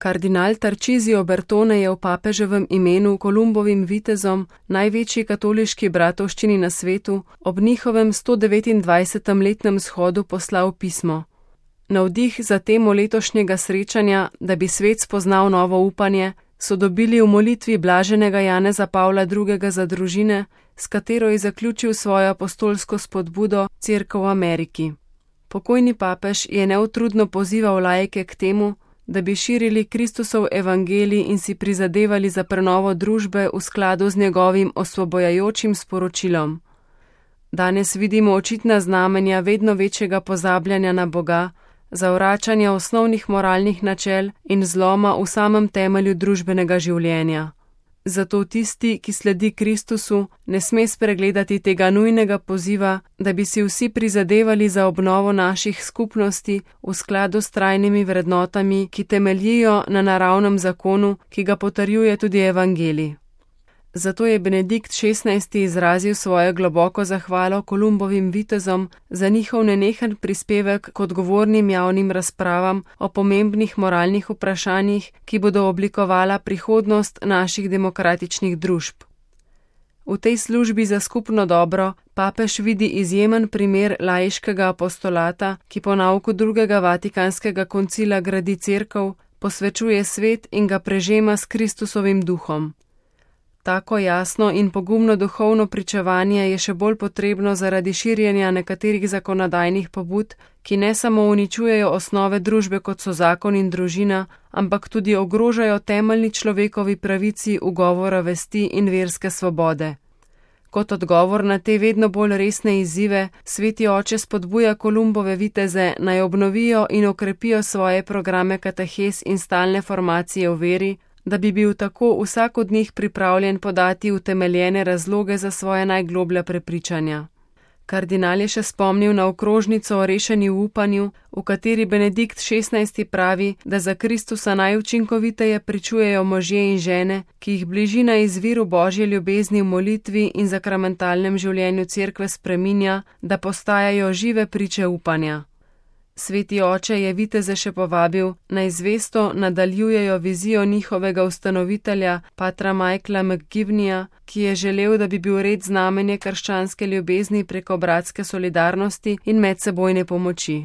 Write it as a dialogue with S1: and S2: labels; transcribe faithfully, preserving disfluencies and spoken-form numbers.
S1: Kardinal Tarcisio Bertone je v papeževem imenu Kolumbovim vitezom, največji katoliški bratovščini na svetu, ob njihovem sto devetindvajsetem letnem shodu poslal pismo. Navdih za temo letošnjega srečanja, da bi svet spoznal novo upanje, so dobili v molitvi blaženega Janeza Pavla drugega za družine, s katero je zaključil svojo apostolsko spodbudo Cerkev v Ameriki. Pokojni papež je neutrudno pozival laike k temu, da bi širili Kristusov evangelij in si prizadevali za prenovo družbe v skladu z njegovim osvobojajočim sporočilom. Danes vidimo očitna znamenja vedno večjega pozabljanja na Boga, zavračanja osnovnih moralnih načel in zloma v samem temelju družbenega življenja. Zato tisti, ki sledi Kristusu, ne sme spregledati tega nujnega poziva, da bi si vsi prizadevali za obnovo naših skupnosti v skladu s trajnimi vrednotami, ki temeljijo na naravnem zakonu, ki ga potrjuje tudi evangelij. Zato je Benedikt šestnajsti izrazil svojo globoko zahvalo Kolumbovim vitezom za njihov nenehen prispevek k odgovornim javnim razpravam o pomembnih moralnih vprašanjih, ki bodo oblikovala prihodnost naših demokratičnih družb. V tej službi za skupno dobro papež vidi izjemen primer laiškega apostolata, ki po nauku drugega vatikanskega koncila gradi cerkev, posvečuje svet in ga prežema s Kristusovim duhom. Tako jasno in pogumno duhovno pričevanje je še bolj potrebno zaradi širjenja nekaterih zakonodajnih pobud, ki ne samo uničujejo osnove družbe, kot so zakon in družina, ampak tudi ogrožajo temeljni človekovi pravici ugovora vesti in verske svobode. Kot odgovor na te vedno bolj resne izzive, Sveti oče spodbuja Kolumbove viteze, naj obnovijo in okrepijo svoje programe katehes in stalne formacije v veri, da bi bil tako vsak od njih pripravljen podati utemeljene razloge za svoje najgloblja prepričanja. Kardinal je še spomnil na okrožnico o rešeni v upanju, v kateri Benedikt šestnajsti pravi, da za Kristusa najučinkoviteje pričujejo možje in žene, ki jih bližina izviru Božje ljubezni v molitvi in sakramentalnem življenju cerkve spreminja, da postajajo žive priče upanja. Sveti oče je viteze še povabil, naj zvesto nadaljujejo vizijo njihovega ustanovitelja, patra Michaela McGivneyja, ki je želel, da bi bil red znamenje krščanske ljubezni preko bratske solidarnosti in medsebojne pomoči.